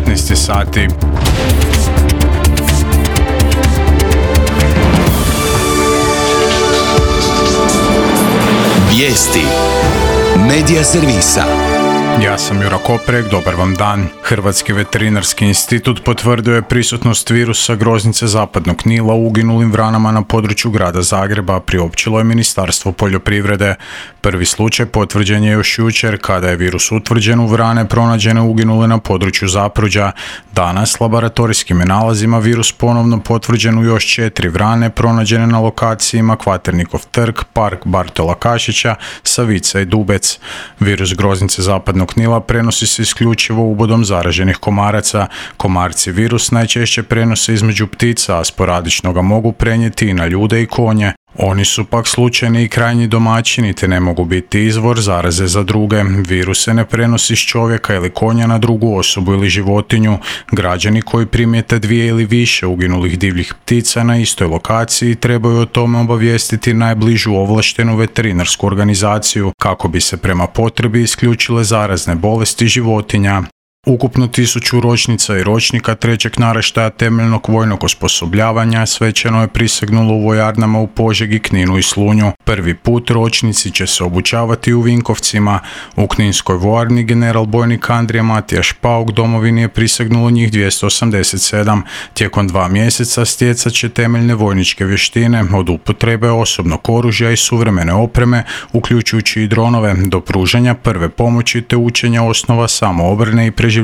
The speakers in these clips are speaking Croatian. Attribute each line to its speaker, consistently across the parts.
Speaker 1: 19 sati.
Speaker 2: Vijesti Medija servisa.
Speaker 1: Ja sam Jura Koprek, dobar vam dan. Hrvatski veterinarski institut potvrdio je prisutnost virusa groznice zapadnog Nila u uginulim vranama na području grada Zagreba, priopćilo je Ministarstvo poljoprivrede. Prvi slučaj potvrđen je još jučer kada je virus utvrđen u vrane pronađene uginule na području Zapruđa. Danas laboratorijskim je nalazima virus ponovno potvrđen u još 4 vrane pronađene na lokacijama Kvaternikov trg, park Bartola Kašića, Savica i Dubec. Virus groznice zapadnog Nila prenosi se isključivo ubodom zaraženih komaraca. Komarci virus najčešće prenose između ptica, a sporadično ga mogu prenijeti i na ljude i konje. Oni su pak slučajni i krajnji domaćini te ne mogu biti izvor zaraze za druge. Virus se ne prenosi s čovjeka ili konja na drugu osobu ili životinju. Građani koji primijete 2 ili više uginulih divljih ptica na istoj lokaciji trebaju o tome obavijestiti najbližu ovlaštenu veterinarsku organizaciju kako bi se prema potrebi isključile zarazne bolesti životinja. Ukupno 1000 ročnica i ročnika trećeg naraštaja temeljnog vojnog osposobljavanja svečano je prisegnulo u vojarnama u Požegi, Kninu i Slunju. Prvi put ročnici će se obučavati u Vinkovcima. U Kninskoj vojarni general bojnik Andrija Matijaš Pauk domovini je prisegnulo njih 287. Tijekom 2 mjeseca stjecat će temeljne vojničke vještine od upotrebe osobnog oružja i suvremene opreme, uključujući i dronove, do pružanja prve pomoći te učenja osnova samoobrane i preživljavanja.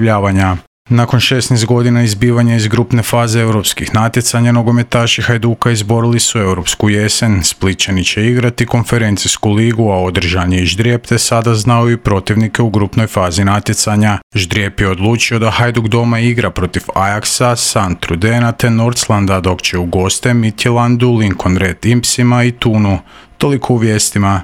Speaker 1: Nakon 16 godina izbivanja iz grupne faze europskih natjecanja, nogometaši Hajduka izborili su europsku jesen. Splićani će igrati konferencijsku ligu, a održan je i ždrijeb te sada znaju i protivnike u grupnoj fazi natjecanja. Ždrijeb je odlučio da Hajduk doma igra protiv Ajaxa, Santrudena te Nordslanda, dok će u goste Midtjyllandu, Lincoln Red Impsima i Tunu. Toliko u vijestima.